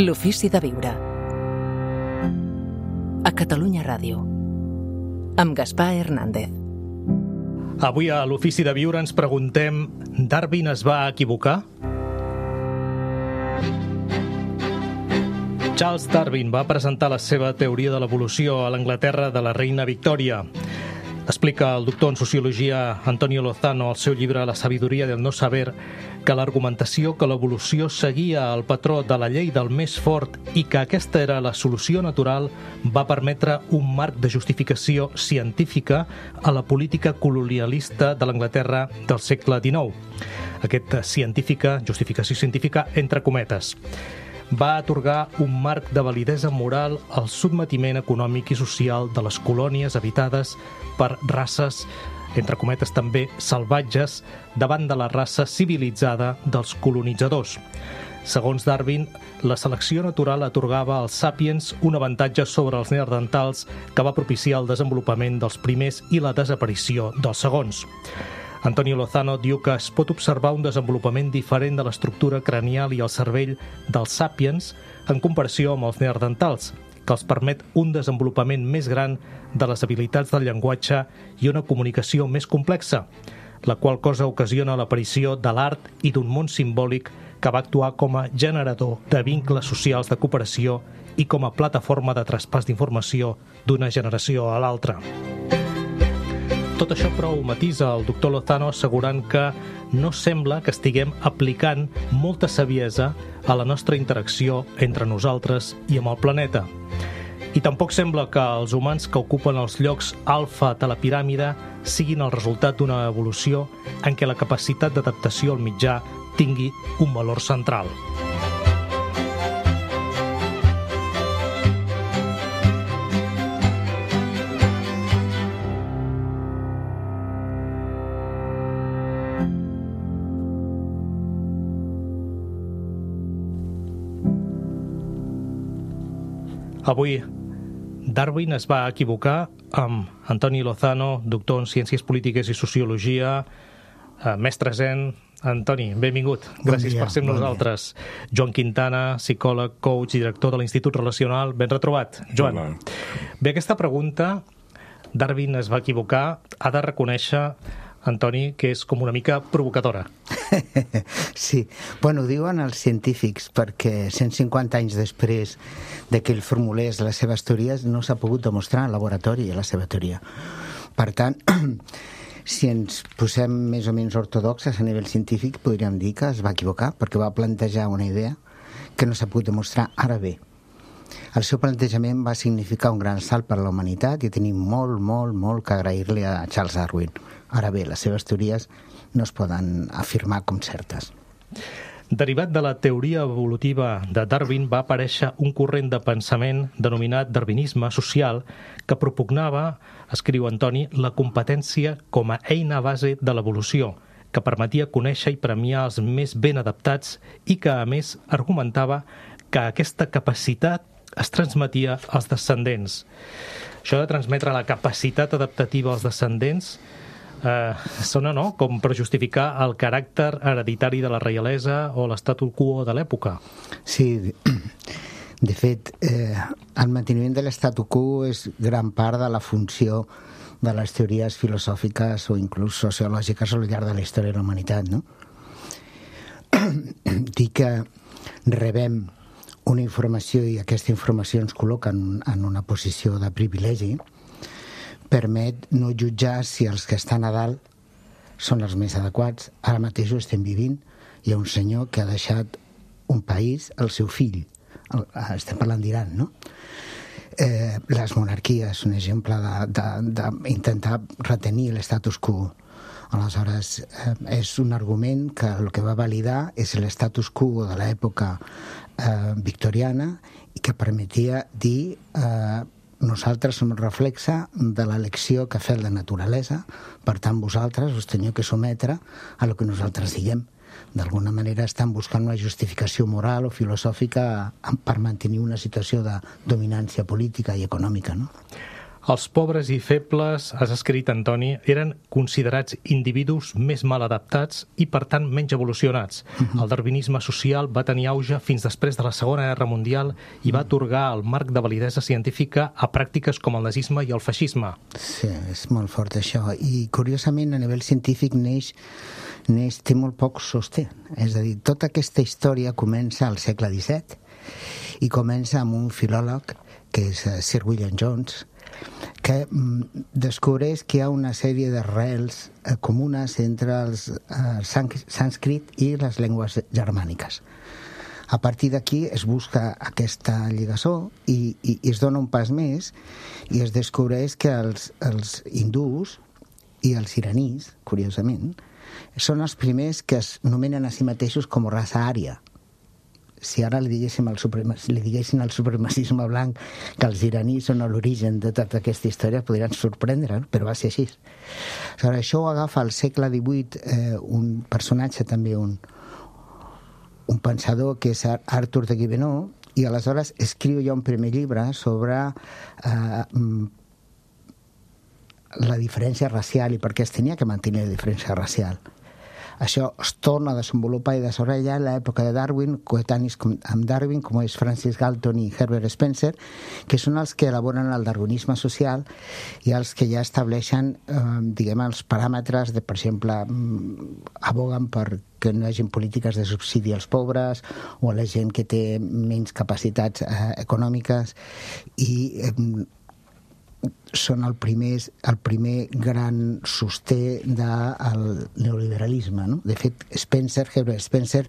L'ofici de viure. A Catalunya Ràdio. Amb Gaspar Hernández. Avui a l'Ofici de Viure ens preguntem: Darwin es va equivocar? Charles Darwin va presentar la seva teoria de l'evolució a l'Anglaterra de la reina Victòria. Explica el doctor en Sociologia Antonio Lozano al seu llibre La sabiduria del no saber que l'argumentació que l'evolució seguia el patró de la llei del més fort i que aquesta era la solució natural va permetre un marc de justificació científica a la política colonialista de l'Anglaterra del segle XIX. Aquesta justificació científica entre cometes, va atorgar un marc de validesa moral al sotmetiment econòmic i social de les colònies habitades per races, entre cometes també salvatges, davant de la raça civilitzada dels colonitzadors. Segons Darwin, la selecció natural atorgava als sàpiens un avantatge sobre els neandertals que va propiciar el desenvolupament dels primers i la desaparició dels segons. Antonio Lozano diu que es pot observar un desenvolupament diferent de l'estructura cranial i el cervell dels sàpiens en comparació amb els neandertals, que els permet un desenvolupament més gran de les habilitats del llenguatge i una comunicació més complexa, la qual cosa ocasiona l'aparició de l'art i d'un món simbòlic que va actuar com a generador de vincles socials de cooperació i com a plataforma de traspàs d'informació d'una generació a l'altra. Tot això, però, ho matisa el doctor Lozano assegurant que no sembla que estiguem aplicant molta saviesa a la nostra interacció entre nosaltres i amb el planeta. I tampoc sembla que els humans que ocupen els llocs alfa de la piràmide siguin el resultat d'una evolució en què la capacitat d'adaptació al mitjà tingui un valor central. Avui, Darwin es va equivocar amb Antoni Lozano, doctor en Ciències Polítiques i Sociologia, mestre zen. Antoni, benvingut. Gràcies per ser amb nosaltres. Joan Quintana, psicòleg, coach i director de l'Institut Relacional. Ben retrobat, Joan. Hola. Bé, aquesta pregunta, Darwin es va equivocar, ha de reconèixer, Antoni, que és com una mica provocadora. Sí, bueno, ho diuen els científics perquè 150 anys després de que ell formulés les seves teories no s'ha pogut demostrar en laboratori la seva teoria. Per tant, si ens posem més o menys ortodoxes a nivell científic, podríem dir que es va equivocar perquè va plantejar una idea que no s'ha pogut demostrar. Ara bé, el seu plantejament va significar un gran salt per a la humanitat i tenim molt que agrair-li a Charles Darwin. Ara bé, les seves teories no es poden afirmar com certes. Derivat de la teoria evolutiva de Darwin va aparèixer un corrent de pensament denominat darwinisme social que propugnava, escriu Antoni, la competència com a eina base de l'evolució, que permetia conèixer i premiar els més ben adaptats i que, a més, argumentava que aquesta capacitat es transmetia als descendents. Això de transmetre la capacitat adaptativa als descendents sona, no?, com per justificar el caràcter hereditari de la reialesa o l'statu quo de l'època. Sí, de fet, el manteniment de l'statu quo és gran part de la funció de les teories filosòfiques o inclús sociològiques al llarg de la història de la humanitat, no? Dir que rebem una informació i aquesta informació ens col·loca en una posició de privilegi permet no jutjar si els que estan a dalt són els més adequats. Ara mateix ho estem vivint. Hi ha un senyor que ha deixat un país al seu fill. Estem parlant d'Iran, no? Les monarquies, un exemple d'intentar retenir l'estatus quo. Aleshores, és un argument que el que va validar és l'estatus quo de l'època victoriana i que permetia dir nosaltres som el reflexe de l'elecció que ha fet la naturalesa, per tant vosaltres us teniu que sometre a lo que nosaltres diguem. D'alguna manera estan buscant una justificació moral o filosòfica per mantenir una situació de dominància política i econòmica, no? Els pobres i febles, has escrit, Antoni, eren considerats individus més mal adaptats i, per tant, menys evolucionats. El darwinisme social va tenir auge fins després de la Segona Guerra Mundial i va atorgar el marc de validesa científica a pràctiques com el nazisme i el feixisme. Sí, és molt fort això. I, curiosament, a nivell científic té molt poc sosté. És a dir, tota aquesta història comença al segle XVII i comença amb un filòleg, que és Sir William Jones, que descobreix que hi ha una sèrie d'arrels comunes entre el sànscrit i les llengües germàniques. A partir d'aquí es busca aquesta lligassó i es dona un pas més i es descobreix que els hindús i els iranis, curiosament, són els primers que es nomenen a si mateixos com a raça ària. Si ara li diguessin al supremacisme blanc que els iranis són l'origen de tota aquesta història, podrien sorprendre, però va ser així. Aleshores, això ho agafa al segle XVIII un personatge també, un pensador que és Arthur de Guémeneau, i aleshores escriu ja un primer llibre sobre la diferència racial i per què es tenia que mantenir la diferència racial. Això es torna a desenvolupar i desarrollar en l'època de Darwin, coetanis amb Darwin, com és Francis Galton i Herbert Spencer, que són els que elaboren el darwinisme social i els que ja estableixen, els paràmetres de, per exemple, aboguen per que no hi hagi polítiques de subsidi als pobres o a la gent que té menys capacitats econòmiques, i són el primer gran sosté del neoliberalisme, no? De fet, Herbert Spencer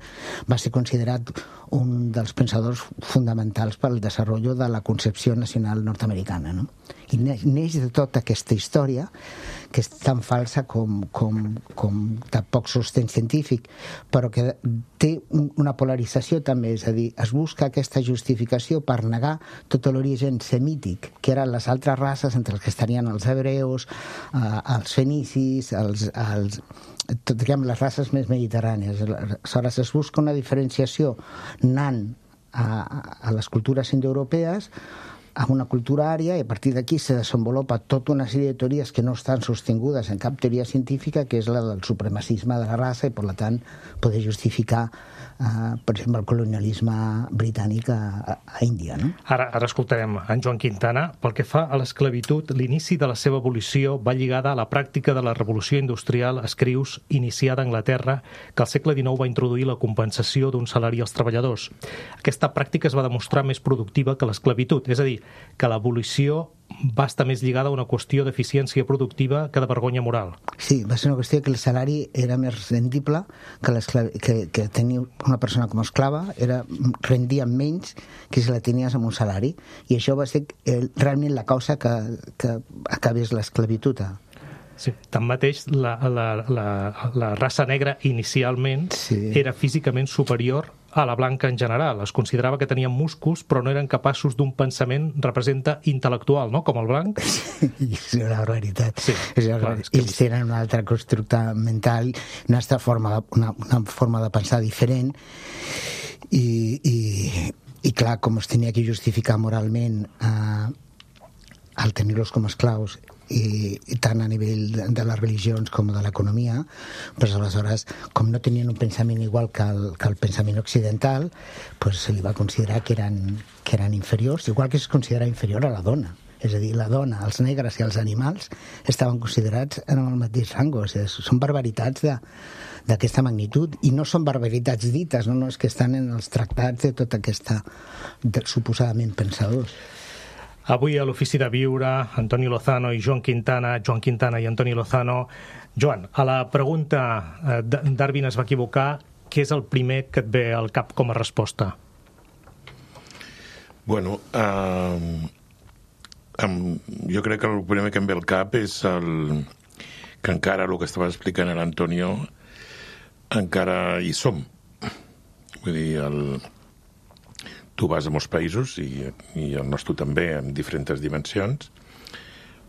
va ser considerat un dels pensadors fonamentals pel desenvolupament de la concepció nacional nord-americana, no? I neix de tota aquesta història, que és tan falsa com de poc sostén científic, però que té una polarització també, és a dir, es busca aquesta justificació per negar tot l'origen semític, que eren les altres races, entre els que estarien els hebreus, els fenicis, les races més mediterrànies. Aleshores, es busca una diferenciació anant a les cultures indoeuropees, a una cultura ària, i a partir d'aquí se desenvolupa tota una sèrie de teories que no estan sostingudes en cap teoria científica, que és la del supremacisme de la raça, i per tant poder justificar per exemple el colonialisme britànic a Índia, no? Ara escoltarem en Joan Quintana. Pel que fa a l'esclavitud, l'inici de la seva abolició va lligada a la pràctica de la revolució industrial, escrius, iniciada a Anglaterra, que al segle XIX va introduir la compensació d'un salari als treballadors. Aquesta pràctica es va demostrar més productiva que l'esclavitud, és a dir, que l'abolició va estar més lligada a una qüestió d'eficiència productiva que de vergonya moral. Sí, va ser una qüestió que el salari era més rendible que tenir una persona com a esclava, rendia menys que si la tenies amb un salari, i això va ser realment la causa que acabés l'esclavitud. Sí, tanmateix, la raça negra inicialment era físicament superior a la blanca en general. Es considerava que tenien músculs, però no eren capaços d'un pensament intel·lectual, no?, com el blanc. Sí, és una barbaritat. Sí, ells tenen un altre constructe mental, una altra forma de pensar diferent, i clar, com es tenia que justificar moralment al tenir-los com a esclaus, i tant a nivell de les religions com de l'economia, doncs aleshores, com no tenien un pensament igual que el pensament occidental, doncs se li va considerar que eren inferiors, igual que es considera inferior a la dona. És a dir, la dona, els negres i els animals estaven considerats en el mateix rang. Són barbaritats d'aquesta magnitud, i no són barbaritats dites, no, és que estan en els tractats de tota aquesta suposadament pensadors. Avui a l'Ofici de Viure, Antoni Lozano i Joan Quintana i Antoni Lozano. Joan, a la pregunta Darwin es va equivocar, què és el primer que et ve al cap com a resposta? Bueno, jo crec que el primer que em ve al cap és que encara el que estava explicant l'Antonio, encara hi som. Vull dir, tu vas a molts països, i el nostre també, en diferents dimensions,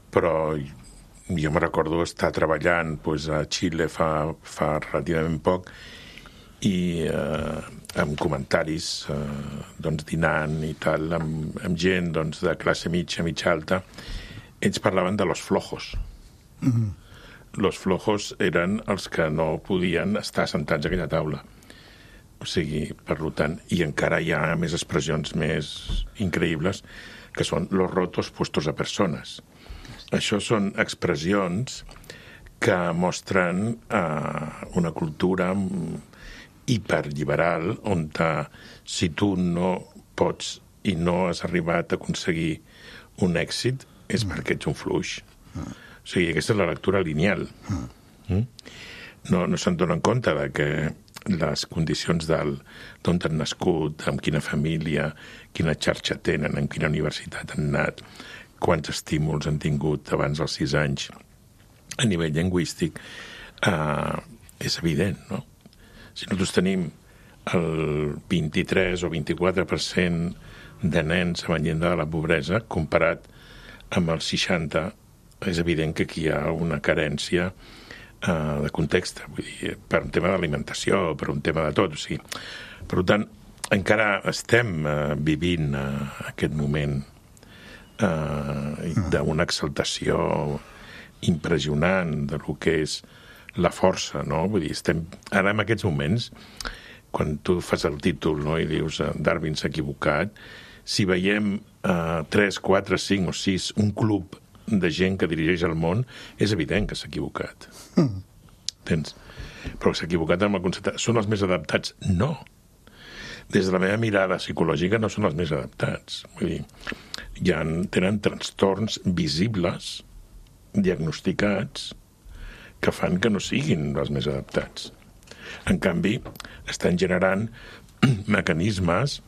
però jo me recordo estar treballant a Xile fa relativament poc, i amb comentaris, dinant i tal, amb gent de classe mitja alta, ells parlaven de los flojos. Los flojos eren els que no podien estar sentats a aquella taula. O sigui, per tant, i encara hi ha més expressions més increïbles, que són los rotos puestos a persones. Això són expressions que mostren una cultura hiperliberal on si tu no pots i no has arribat a aconseguir un èxit és perquè ets un fluix. O sigui, aquesta és la lectura lineal. No se'n donen compte de que les condicions d'on han nascut, amb quina família, quina xarxa tenen, en quina universitat han anat, quants estímuls han tingut abans dels 6 anys a nivell lingüístic, és evident, no? Si nosaltres tenim el 23 o 24% de nens amb llindar de la pobresa comparat amb el 60%, és evident que aquí hi ha una carència de context, vull dir, per un tema d'alimentació, per un tema de tot. O sigui, per tant, encara estem vivint aquest moment d'una exaltació impressionant de lo que és la força, no? Vull dir, estem ara en aquests moments, quan tu fas el títol, no?, i dius Darwin s'ha equivocat, si veiem 3, 4, 5 o 6, un club de gent que dirigeix el món, és evident que s'ha equivocat. Entens? Però s'ha equivocat amb el concepte. Són els més adaptats? No. Des de la meva mirada psicològica no són els més adaptats. Vull dir, tenen trastorns visibles, diagnosticats, que fan que no siguin els més adaptats. En canvi, estan generant mecanismes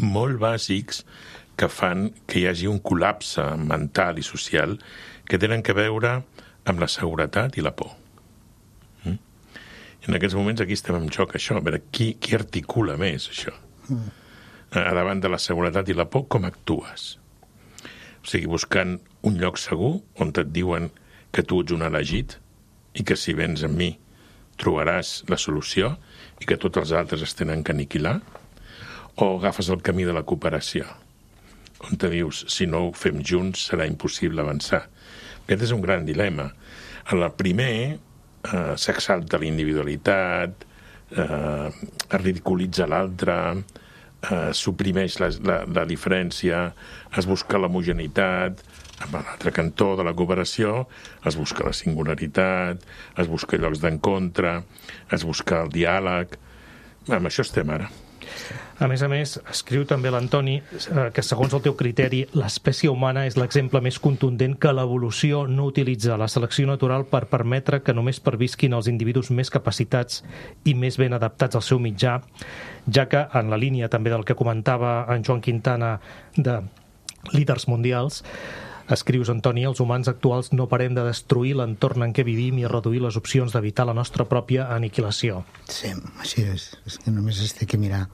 molt bàsics que fan que hi hagi un col·lapse mental i social que tenen que veure amb la seguretat i la por. I en aquests moments aquí estem en joc, això, a veure qui articula més això. A davant de la seguretat i la por, com actues? O sigui, buscant un lloc segur on et diuen que tu ets un elegit i que si vens amb mi trobaràs la solució i que tots els altres es tenen que aniquilar, o agafes el camí de la cooperació, on te dius, si no ho fem junts serà impossible avançar. Aquest és un gran dilema. En el primer s'exalta la individualitat, es ridiculitza l'altre, suprimeix la diferència, es busca l'homogeneïtat. En l'altre cantó de la cooperació es busca la singularitat, es busca llocs d'encontre, es busca el diàleg. Amb això estem ara. A més, escriu també l'Antoni que, segons el teu criteri, l'espècie humana és l'exemple més contundent que l'evolució no utilitza la selecció natural per permetre que només pervisquin els individus més capacitats i més ben adaptats al seu mitjà, ja que, en la línia també del que comentava en Joan Quintana de líders mundials, escrius, Antoni, els humans actuals no parem de destruir l'entorn en què vivim i reduir les opcions d'evitar la nostra pròpia aniquilació. Sí, així és. És que només es té que mirar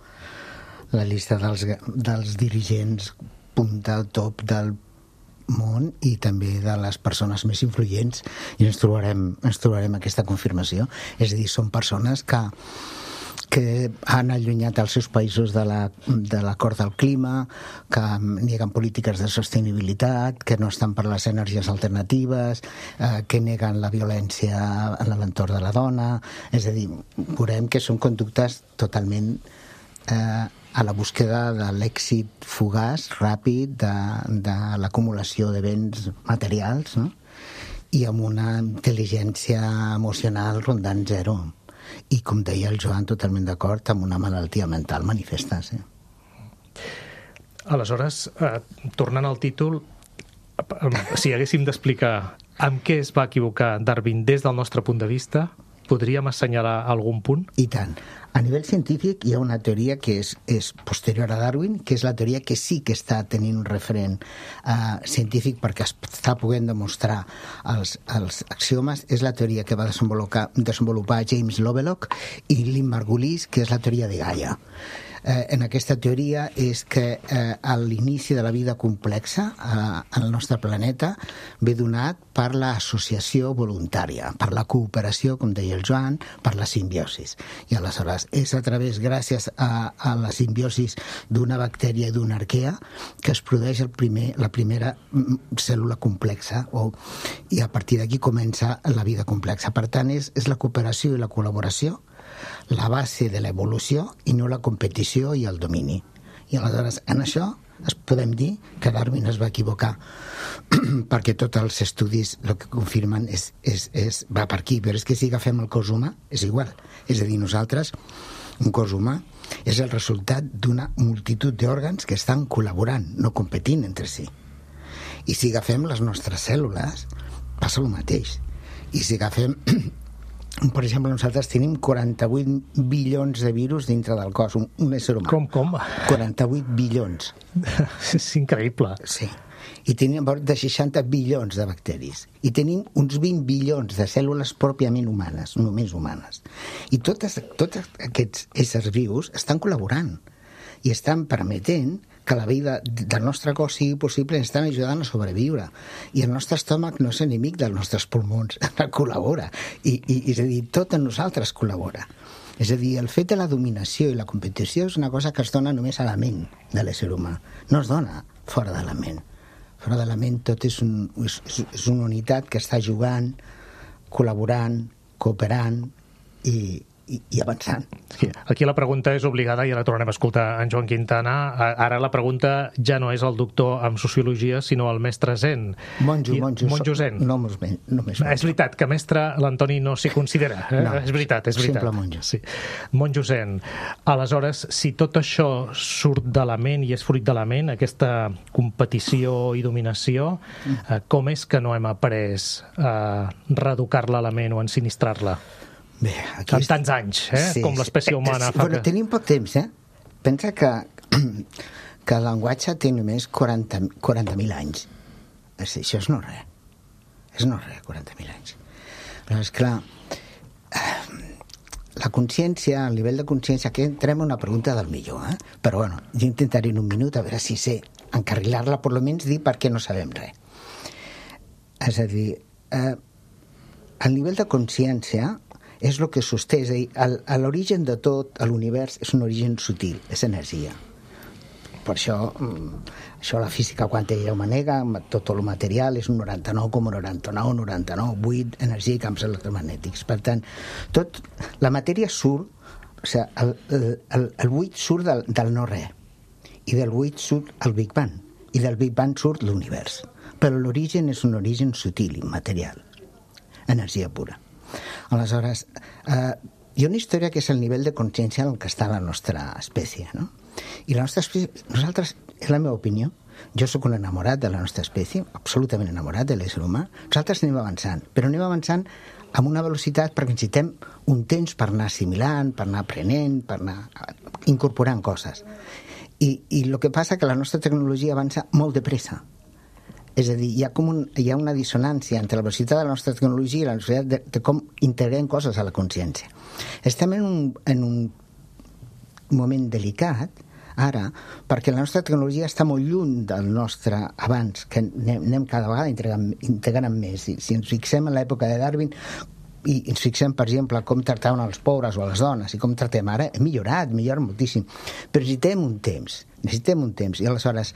la llista dels dirigents punta al top del món i també de les persones més influents i ens trobarem aquesta confirmació. És a dir, són persones que han allunyat els seus països de l'acord del clima, que neguen polítiques de sostenibilitat, que no estan per les energies alternatives, que neguen la violència en l'entorn de la dona. És a dir, veurem que són conductes totalment a la búsqueda de l'èxit fugaç, ràpid, de l'acumulació de béns materials, no? I amb una intel·ligència emocional rondant zero. I, com deia el Joan, totalment d'acord amb una malaltia mental manifesta. Sí. Aleshores, tornant al títol, si haguéssim d'explicar amb què es va equivocar Darwin des del nostre punt de vista, podríem assenyalar algun punt? I tant. A nivell científic hi ha una teoria que és posterior a Darwin, que és la teoria que sí que està tenint un referent científic perquè està podent demostrar els axiomes. És la teoria que va desenvolupar James Lovelock i Lynn Margulis, que és la teoria de Gaia. en aquesta teoria és que a l'inici de la vida complexa al nostre planeta ve donat per l'associació voluntària, per la cooperació, com deia el Joan, per la simbiosis. I aleshores és a través, gràcies a la simbiosis d'una bactèria i d'una arquea, que es produeix la primera cèl·lula complexa, i a partir d'aquí comença la vida complexa. Per tant, és la cooperació i la col·laboració la base de l'evolució i no la competició i el domini. I aleshores, en això podem dir que Darwin es va equivocar perquè tots els estudis el que confirmen va per aquí, però és que si agafem el cos humà és igual. És a dir, nosaltres, un cos humà és el resultat d'una multitud d'òrgans que estan col·laborant, no competint entre si. I si agafem les nostres cèl·lules passa el mateix. I si agafem, per exemple, nosaltres tenim 48 bilions de virus dintre del cos, un ésser humà. Com? 48 bilions. És increïble. Sí. I tenim de 60 bilions de bacteris. I tenim uns 20 bilions de cèl·lules pròpiament humanes, només humanes. I tots aquests éssers vius estan col·laborant i estan permetent que la vida del nostre cos sigui possible, i estan ajudant a sobreviure. I el nostre estómac no és enemic dels nostres pulmons, col·labora. I és a dir, tot en nosaltres col·labora. És a dir, el fet de la dominació i la competició és una cosa que es dona només a la ment de l'ésser humà. No es dona fora de la ment. Fora de la ment tot és una unitat que està jugant, col·laborant, cooperant i avançant. Aquí la pregunta és obligada i ara tornarem a escoltar en Joan Quintana. Ara la pregunta ja no és el doctor en sociologia, sinó el mestre Zen. Monjo Zen. No només monjo. És veritat que mestre l'Antoni no s'hi considera. No, és veritat. simple monjo. Sí. Monjo Zen. Aleshores, si tot això surt de la ment i és fruit de la ment, aquesta competició i dominació, com és que no hem après a reeducar-la a la ment o a ensinistrar-la? Bé, en tants anys, sí, com l'espècie humana. Bueno, tenim poc temps, Pensa que el llenguatge té només 40.000 anys. Això és no res. És no res, 40.000 anys. Però, esclar, la consciència, el nivell de consciència, aquí entrem a una pregunta del millor, però bueno, jo intentaré en un minut a veure si sé encarrilar-la, per almenys dir per què no sabem res. És a dir, el nivell de consciència és el que sosté, és a dir, l'origen de tot, l'univers, és un origen sutil, és energia. Per això la física quàntica ja ho manega, tot el material és un 99,99, energia i camps electromagnètics. Per tant, la matèria surt, o sigui, el buit surt del no-res, i del buit surt el Big Bang, i del Big Bang surt l'univers. Però l'origen és un origen sutil, immaterial, energia pura. Aleshores, hi ha una història que és el nivell de consciència en què està la nostra espècie, no? I la nostra espècie, nosaltres, és la meva opinió, jo sóc un enamorat de la nostra espècie, absolutament enamorat de l'ésser humà, nosaltres anem avançant, però anem avançant amb una velocitat perquè necessitem un temps per anar assimilant, per anar aprenent, per anar incorporant coses. I el que passa que la nostra tecnologia avança molt de pressa. És a dir, hi ha una dissonància entre la velocitat de la nostra tecnologia i la velocitat de com integrem coses a la consciència. Estem en un moment delicat, ara, perquè la nostra tecnologia està molt lluny del nostre abans, que anem cada vegada integrant més. Si ens fixem en l'època de Darwin i ens fixem, per exemple, com tractaven els pobres o les dones i com tractem ara, hem millora moltíssim. Però necessitem un temps. I aleshores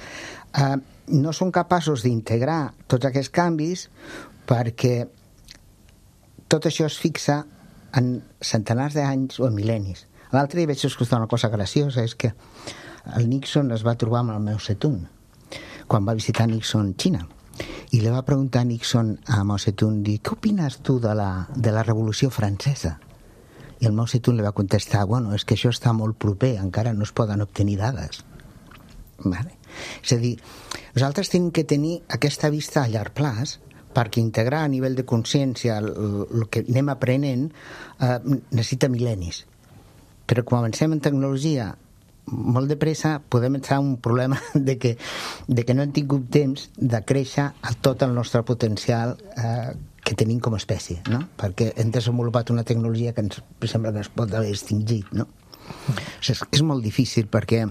no som capaços d'integrar tots aquests canvis perquè tot això es fixa en centenars d'anys o en mil·lennis. L'altre dia vaig escoltar una cosa graciosa, és que el Nixon es va trobar amb el Mao Zedong quan va visitar Nixon Xina, i li va preguntar a Nixon a Mao Zedong, què opines tu de la Revolució Francesa? I el Mao Zedong li va contestar, bueno, és que això està molt proper, encara no es poden obtenir dades. Vale? És a dir, nosaltres tenim que tenir aquesta vista a llarg plaç perquè integrar a nivell de consciència el que anem aprenent necessita mil·lennis. Però quan avancem en tecnologia molt de pressa podem entrar en un problema de que no hem tingut temps de créixer a tot el nostre potencial que tenim com a espècie, no? Perquè hem desenvolupat una tecnologia que ens sembla que es pot haver extingit, no? És molt difícil perquè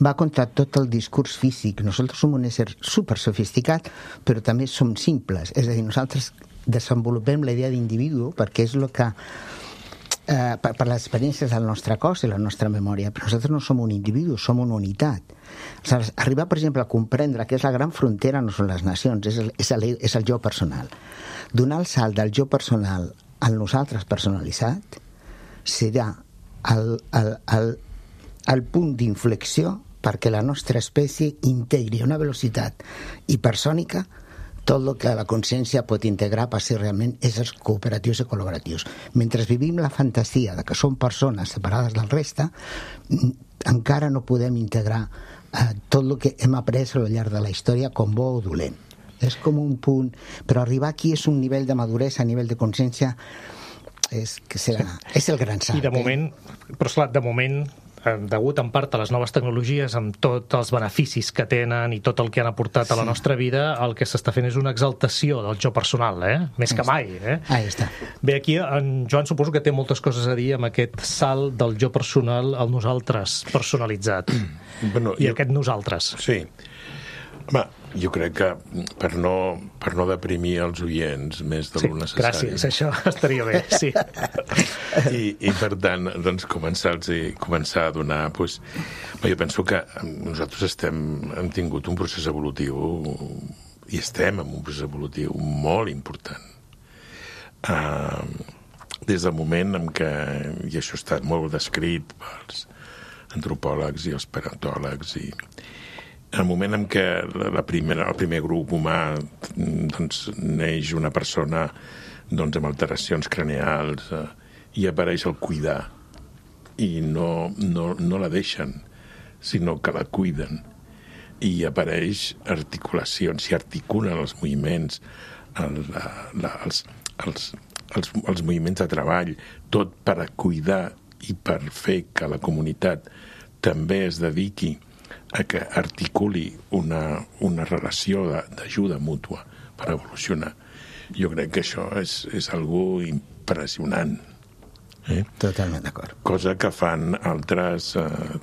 va contra tot el discurs físic. Nosaltres som un ésser super sofisticat, però també som simples. És a dir, nosaltres desenvolupem la idea d'individu perquè és el que per les experiències del nostre cos i la nostra memòria, però nosaltres no som un individu, som una unitat. Aleshores, arribar, per exemple, a comprendre que és la gran frontera no són les nacions, és el jo personal. Donar el salt del jo personal al nosaltres personalitzat serà el punt d'inflexió perquè la nostra espècie integri a una velocitat hipersònica tot el que la consciència pot integrar per ser realment éssers cooperatius i col·laboratius. Mentre vivim la fantasia de que som persones separades del reste, encara no podem integrar tot el que hem après al llarg de la història com bo o dolent. És com un punt... Però arribar aquí és un nivell de maduresa, a nivell de consciència, és el gran salt. I de moment, però esclar, de moment, degut en part a les noves tecnologies, amb tots els beneficis que tenen i tot el que han aportat a la nostra vida, el que s'està fent és una exaltació del jo personal, més que mai. Ahí està. Bé, aquí en Joan suposo que té moltes coses a dir amb aquest salt del jo personal al nosaltres personalitzat. Aquest nosaltres. Sí. Home, jo crec que per no deprimir els oients més de lo necessari... Gràcies, això estaria bé, sí. I per tant, doncs, començar a donar... Doncs, jo penso que nosaltres hem tingut un procés evolutiu i estem en un procés evolutiu molt important. Des del moment en què, i això ha estat molt descrit pels antropòlegs i els paleontòlegs, i el moment en què el primer grup humà doncs, neix una persona doncs, amb alteracions craneals i apareix el cuidar i no la deixen, sinó que la cuiden, i apareix articulacions, s'hi articulen els moviments, els moviments de treball, tot per a cuidar i per fer que la comunitat també es dediqui a que articuli una relació d'ajuda mútua per evolucionar. Jo crec que això és algo impressionant. Totalment d'acord. Cosa que fan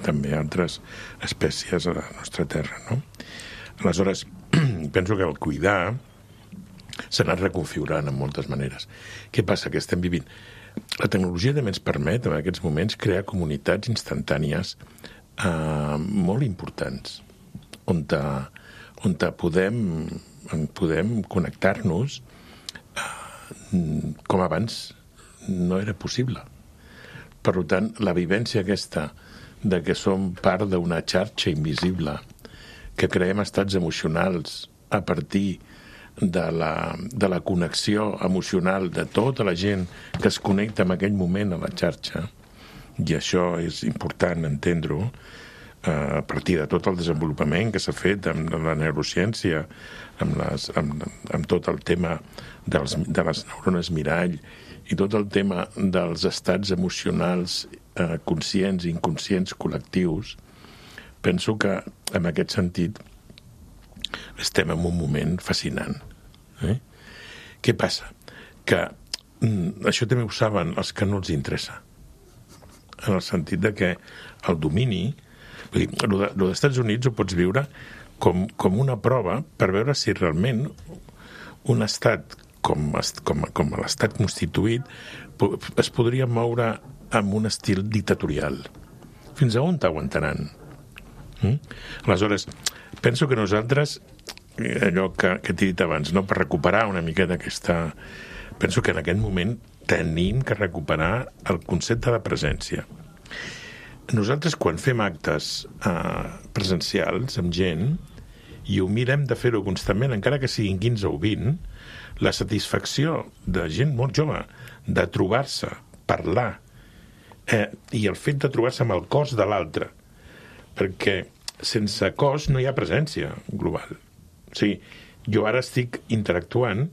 també altres espècies a la nostra terra, no? Aleshores, penso que el cuidar s'ha anat reconfigurant en moltes maneres. Què passa? Que estem vivint... La tecnologia també ens permet, en aquests moments, crear comunitats instantànies molt importants, on podem connectar-nos com abans no era possible. Per tant, la vivència aquesta de que som part d'una xarxa invisible, que creem estats emocionals a partir de la connexió emocional de tota la gent que es connecta en aquell moment a la xarxa, i això és important entendre-ho, a partir de tot el desenvolupament que s'ha fet amb la neurociència, amb tot el tema de les neurones mirall i tot el tema dels estats emocionals conscients i inconscients col·lectius. Penso que, en aquest sentit, estem en un moment fascinant. Què passa? Que això també ho saben els que no els interessa, en el sentit de que el domini, vull dir, el dels Estats Units ho pots viure com una prova per veure si realment un estat com l'estat constituït es podria moure amb un estil dictatorial. Fins a on t'aguantaran? Aleshores, penso que nosaltres, allò que t'he dit abans, no, per recuperar una miqueta aquesta... Penso que en aquest moment tenim que recuperar el concepte de presència. Nosaltres, quan fem actes presencials amb gent, i ho mirem de fer-ho constantment, encara que siguin 15 o 20, la satisfacció de gent molt jove de trobar-se, parlar, i el fet de trobar-se amb el cos de l'altre, perquè sense cos no hi ha presència global. O sigui, jo ara estic interactuant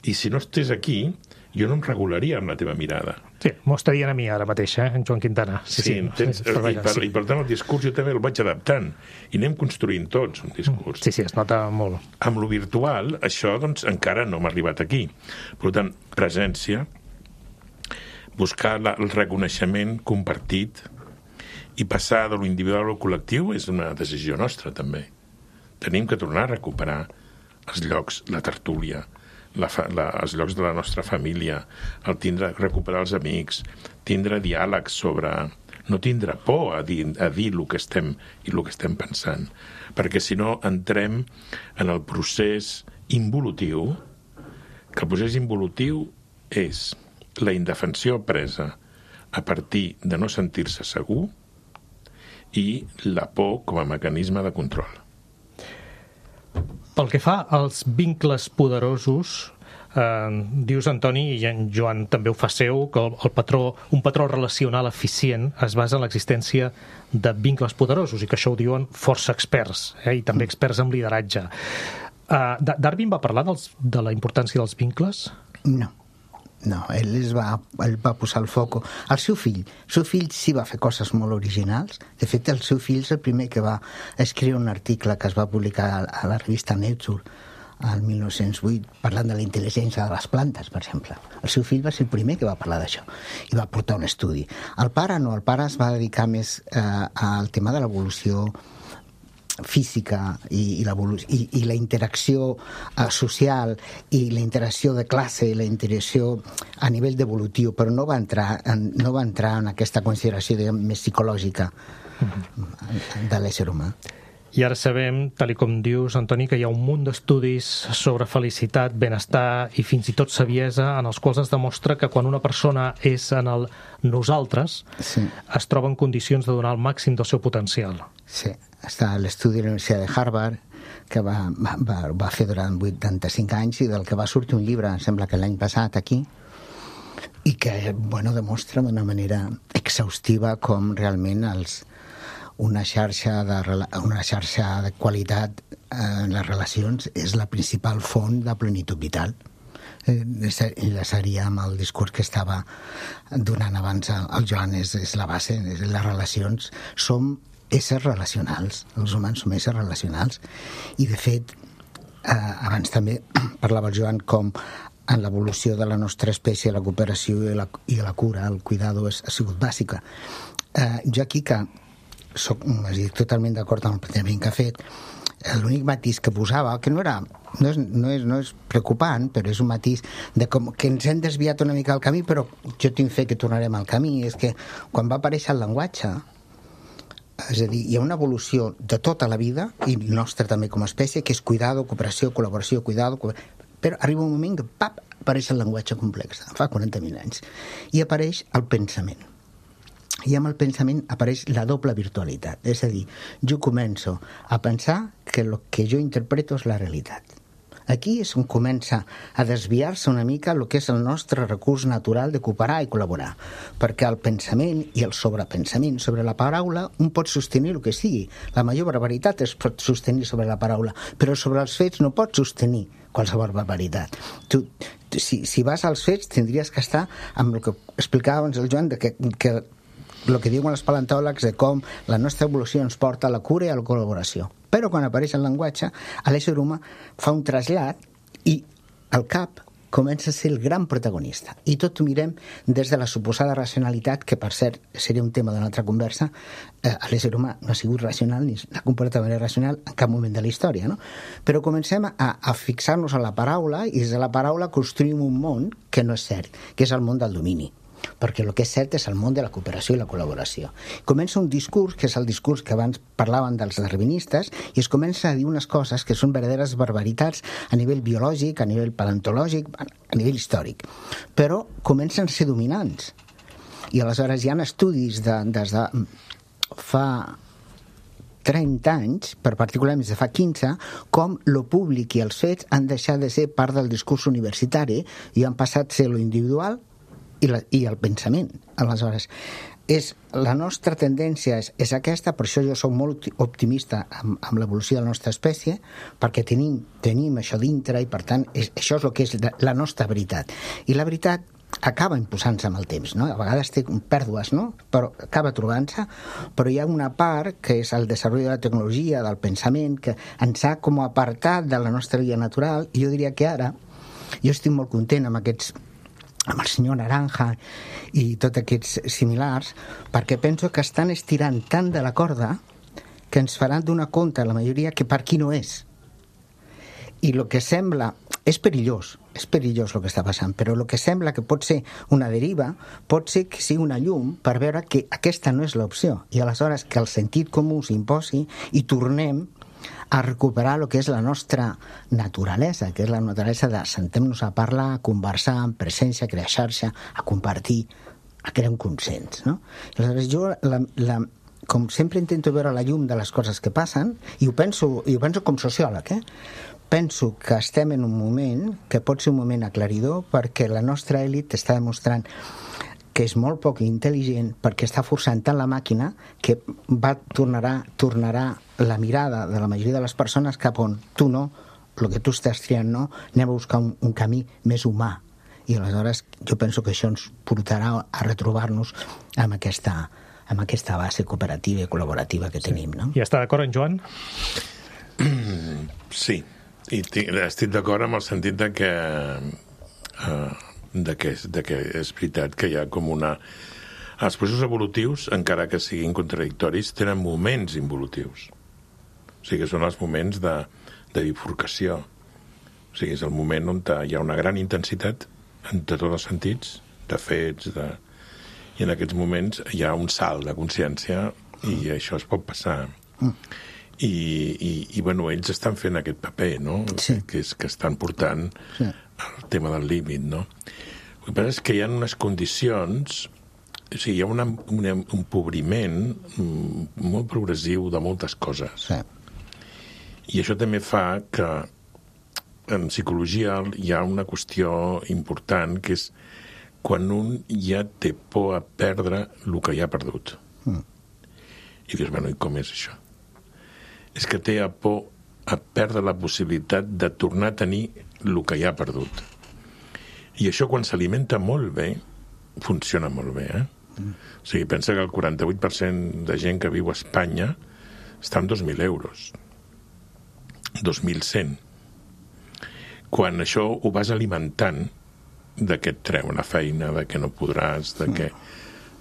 i si no estés aquí, jo no em regularia amb la teva mirada. Sí, m'ho estarien a mi ara mateix, en Joan Quintana. Sí, i per tant el discurs jo també el vaig adaptant i anem construint tots un discurs. Sí, es nota molt. Amb lo virtual, això doncs encara no m'ha arribat aquí. Per tant, presència, buscar el reconeixement compartit i passar de lo individual al col·lectiu és una decisió nostra, també. Tenim que tornar a recuperar els llocs, la tertúlia, els llocs de la nostra família, recuperar els amics, tindre diàlegs sobre... no tindre por a dir el que estem i el que estem pensant, perquè si no entrem en el procés involutiu, que el procés involutiu és la indefensió presa a partir de no sentir-se segur i la por com a mecanisme de control. Pel que fa als vincles poderosos, dius, Antoni, i en Joan també ho fa seu, que un patró relacional eficient es basa en l'existència de vincles poderosos i que això ho diuen força experts, i també experts en lideratge. Darwin va parlar de la importància dels vincles? No, ell va posar el foc. El seu fill sí va fer coses molt originals. De fet, el seu fill és el primer que va escriure un article que es va publicar a la revista Nature al 1908, parlant de la intel·ligència de les plantes, per exemple. El seu fill va ser el primer que va parlar d'això i va portar un estudi. El pare no, el pare es va dedicar més al tema de l'evolució física i la interacció social i la interacció de classe i la interacció a nivell d'evolutiu, però no va entrar en aquesta consideració, diguem, més psicològica de l'ésser humà. I ara sabem, tal com dius, Antoni, que hi ha un munt d'estudis sobre felicitat, benestar i fins i tot saviesa en els quals es demostra que quan una persona és en el nosaltres, es troba en condicions de donar el màxim del seu potencial. Sí, està l'estudi de la Universitat de Harvard que va fer durant 85 anys i del que va sortir un llibre, em sembla que l'any passat aquí, i que, demostra d'una manera exhaustiva com realment una xarxa de qualitat en les relacions és la principal font de plenitud vital. Enllaçaria amb el discurs que estava donant abans el Joan, és la base. Les relacions som éssers relacionals, els humans som éssers relacionals, i de fet abans també parlava el Joan com en l'evolució de la nostra espècie la cooperació i la cura, el cuidado ha sigut bàsica. Jo aquí que estic totalment d'acord amb el plantejament que ha fet, l'únic matís que posava, que no és preocupant, però és un matís de com que ens hem desviat una mica del camí, però jo tinc fe que tornarem al camí, és que quan va aparèixer el llenguatge, és a dir, hi ha una evolució de tota la vida, i nostra també com a espècie, que és cuidado, cooperació, col·laboració, però arriba un moment que, apareix el llenguatge complex, fa 40.000 anys, i apareix el pensament. I amb el pensament apareix la doble virtualitat, és a dir, jo començo a pensar que el que jo interpreto és la realitat. Aquí és on comença a desviar-se una mica el que és el nostre recurs natural de cooperar i col·laborar, perquè el pensament i el sobrepensament sobre la paraula un pot sostenir el que sigui. La major barbaritat es pot sostenir sobre la paraula, però sobre els fets no pots sostenir qualsevol barbaritat. Si vas als fets tindries que estar amb el que explicava abans el Joan, que el que diuen els paleontòlegs de com la nostra evolució ens porta a la cura i a la col·laboració. Però quan apareix el llenguatge, l'ésser humà fa un trasllat i el cap comença a ser el gran protagonista. I tot ho mirem des de la suposada racionalitat, que per cert seria un tema d'una altra conversa. L'ésser humà no ha sigut racional ni s'ha comportat de manera racional en cap moment de la història, no? Però comencem a fixar-nos en la paraula i des de la paraula construïm un món que no és cert, que és el món del domini, perquè el que és cert és el món de la cooperació i la col·laboració. Comença un discurs, que és el discurs que abans parlaven dels darwinistes, i es comença a dir unes coses que són verdaderes barbaritats a nivell biològic, a nivell paleontològic, a nivell històric. Però comencen a ser dominants. I aleshores hi ha estudis des de fa 30 anys, per particularment des de fa 15, com lo públic i els fets han deixat de ser part del discurs universitari i han passat a ser lo individual i el pensament. Aleshores, la nostra tendència és aquesta, per això jo soc molt optimista amb l'evolució de la nostra espècie, perquè tenim això dintre i per tant això és el que és la nostra veritat. I la veritat acaba imposant-se amb el temps, no? A vegades té pèrdues, no? Però acaba trobant-se, però hi ha una part que és el desenvolupament de la tecnologia, del pensament, que ens ha com apartat de la nostra vida natural, i jo diria que ara jo estic molt content amb amb el senyor Naranja i tots aquests similars, perquè penso que estan estirant tant de la corda que ens faran donar compte, la majoria, que per aquí no és. I el que sembla... És perillós el que està passant, però el que sembla que pot ser una deriva pot ser que sigui una llum per veure que aquesta no és l'opció, i aleshores que el sentit comú s'imposi i tornem a recuperar el que és la nostra naturalesa, que és la naturalesa de sentar-nos a parlar, a conversar, en presència, a crear xarxa, a compartir, a crear un consens, no? Aleshores, jo, com sempre intento veure la llum de les coses que passen, i ho penso com sociòleg, penso que estem en un moment que pot ser un moment aclaridor perquè la nostra elit està demostrant que és molt poc intel·ligent perquè està forçant tant la màquina que tornarà la mirada de la majoria de les persones cap on tu no, el que tu estàs triant no, anem a buscar un camí més humà. I aleshores jo penso que això ens portarà a retrobar-nos amb aquesta base cooperativa i col·laborativa que tenim, no? I està d'acord en Joan? Sí. I estic d'acord amb el sentit de que és veritat que hi ha com una... Els processos evolutius, encara que siguin contradictoris, tenen moments involutius. O sigui, són els moments de bifurcació. O sigui, és el moment on hi ha una gran intensitat de tots els sentits, de fets, i en aquests moments hi ha un salt de consciència i això es pot passar. I bueno, ells estan fent aquest paper, no? Sí. Que estan portant el tema del límit, no? El que passa és que hi ha unes condicions, o sigui, hi ha un empobriment molt progressiu de moltes coses. Sí. I això també fa que en psicologia hi ha una qüestió important, que és quan un ja té por a perdre el que ja ha perdut. I dius, bueno, i com és això? És que té por a perdre la possibilitat de tornar a tenir el que ja ha perdut. I això, quan s'alimenta molt bé, funciona molt bé, O sigui, pensa que el 48% de gent que viu a Espanya està en 2.000 euros. 2.100. Quan això ho vas alimentant de que et treu una feina, de que no podràs, de que...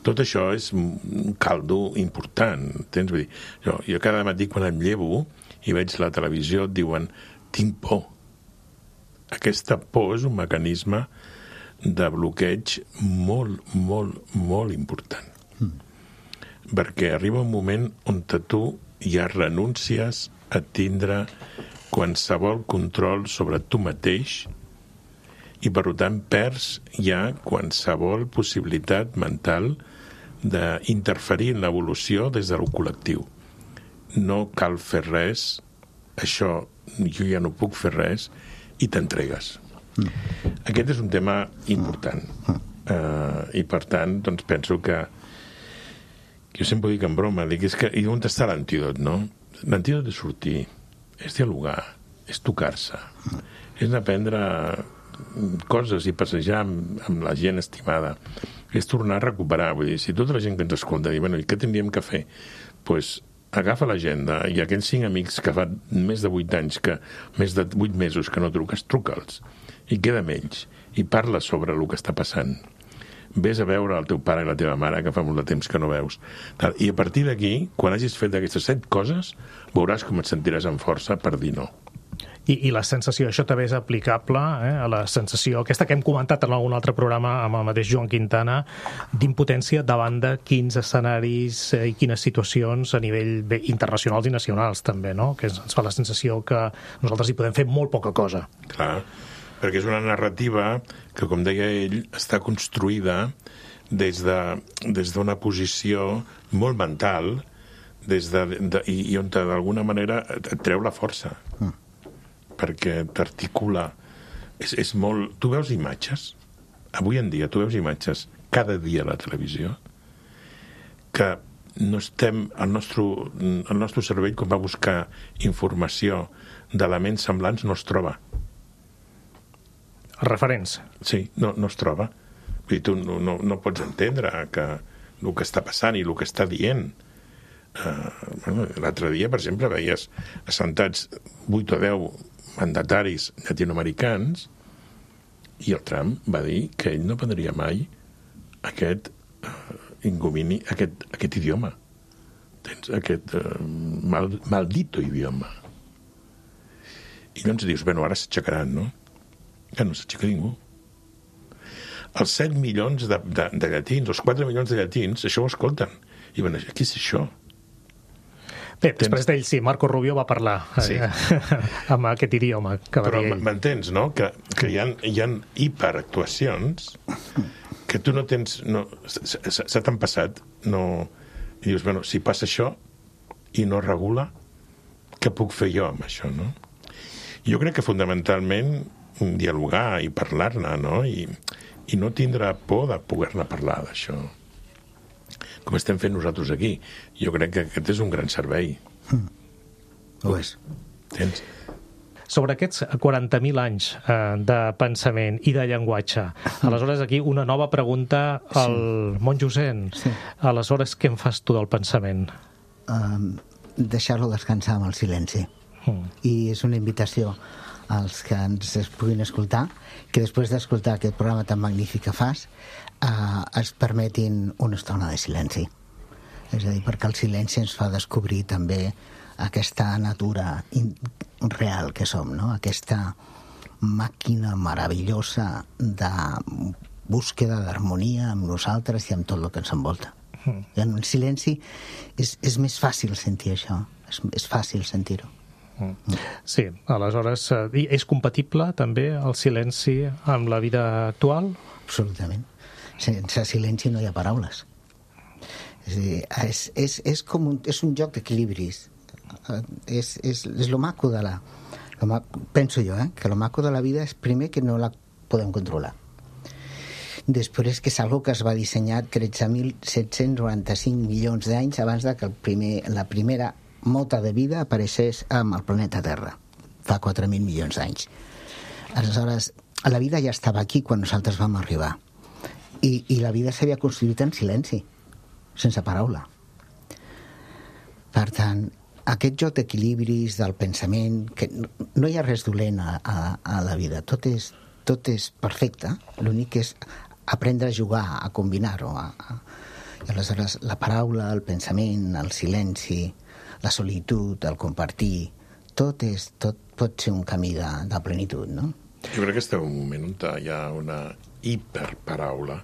Tot això és un caldo important, entens? Vull dir, jo cada matí quan em llevo i veig la televisió et diuen tinc por. Aquesta por és un mecanisme de bloqueig molt, molt, molt important. Perquè arriba un moment on tu ja renuncies a tindre qualsevol control sobre tu mateix i per tant perds ja qualsevol possibilitat mental d'interferir en l'evolució des del col·lectiu. No cal fer res, això jo ja no puc fer res, i t'entregues. Aquest és un tema important. I per tant, doncs penso que jo sempre dic en broma, dic, és que i on està l'antídot, no? L'antídot és sortir, és dialogar, és tocar-se, és aprendre coses i passejar amb la gent estimada, és tornar a recuperar. Vull dir, si tota la gent que ens escolta diu, bueno, i què tindríem que fer? Doncs agafa l'agenda i aquells 5 amics que fa més de 8 anys, més de 8 mesos que no truques, truca'ls i queda amb ells i parla sobre el que està passant. Vés a veure el teu pare i la teva mare, que fa molt de temps que no veus. I a partir d'aquí, quan hagis fet aquestes 7 coses, veuràs com et sentiràs amb força per dir no. I la sensació, això també és aplicable a la sensació, aquesta que hem comentat en algun altre programa amb el mateix Joan Quintana, d'impotència davant de quins escenaris i quines situacions a nivell internacionals i nacionals també, no? Que ens fa la sensació que nosaltres hi podem fer molt poca cosa. Clar, perquè és una narrativa que, com deia ell, està construïda des d'una posició molt mental i on d'alguna manera et treu la força. Perquè t'articula. És molt... Tu veus imatges, avui en dia tu veus imatges cada dia a la televisió, que no estem... El nostre cervell, quan va buscar informació d'elements semblants, no es troba. Els referents. Sí, no es troba. Vull dir, tu no pots entendre que el que està passant i el que està dient. L'altre dia, per exemple, veies assentats 8 o 10 mandataris llatinoamericans I el Trump va dir que ell no prendria mai aquest ingomini, aquest idioma. Tens aquest maldito idioma. I llavors dius, bueno, ara s'aixecaran, no? Ja no s'aixeca ningú. Els 7 milions de llatins, els 4 milions de llatins, això ho escolten. I bueno, què és això? Bé, després d'ell sí, Marco Rubio va parlar amb aquest idioma que va dir ell. Però m'entens, no? Que hi ha hiperactuacions que tu no tens... s'ha tan passat, no... I dius, bueno, si passa això i no regula, què puc fer jo amb això, no? Jo crec que fonamentalment dialogar i parlar-ne, no? I no tindre por de poder-ne parlar d'això. Com estem fent nosaltres aquí. Jo crec que aquest és un gran servei. Ho és. Tens? Sobre aquests 40.000 anys de pensament i de llenguatge, aleshores aquí una nova pregunta al monjo Zen. Sí. Aleshores, què en fas tu del pensament? Deixar-lo descansar amb el silenci. I és una invitació als que ens puguin escoltar, que després d'escoltar aquest programa tan magnífic que fas, es permetin una estona de silenci. És a dir, perquè el silenci ens fa descobrir també aquesta natura real que som, no? Aquesta màquina meravellosa de búsqueda d'harmonia amb nosaltres i amb tot el que ens envolta. I en el silenci és més fàcil sentir això, és fàcil sentir-ho. Sí, aleshores, és compatible també el silenci amb la vida actual? Absolutament. Sense silenci no hi ha paraules. És a dir, és un joc d'equilibris. És lo maco de la... Penso jo, que lo maco de la vida és primer que no la podem controlar. Després que és algo que es va dissenyar 13.795 milions d'anys abans de que la primera mota de vida apareixés amb el planeta Terra, fa 4.000 milions d'anys. Aleshores, la vida ja estava aquí quan nosaltres vam arribar. I la vida s'havia construït en silenci, sense paraula. Per tant, aquest joc d'equilibris del pensament, que no hi ha res dolent a la vida, tot és perfecte, l'únic és aprendre a jugar, a combinar-ho. I aleshores la paraula, el pensament, el silenci, la solitud, el compartir, tot pot ser un camí de plenitud, no? Jo crec que estem en un moment on hi ha una hiperparaula.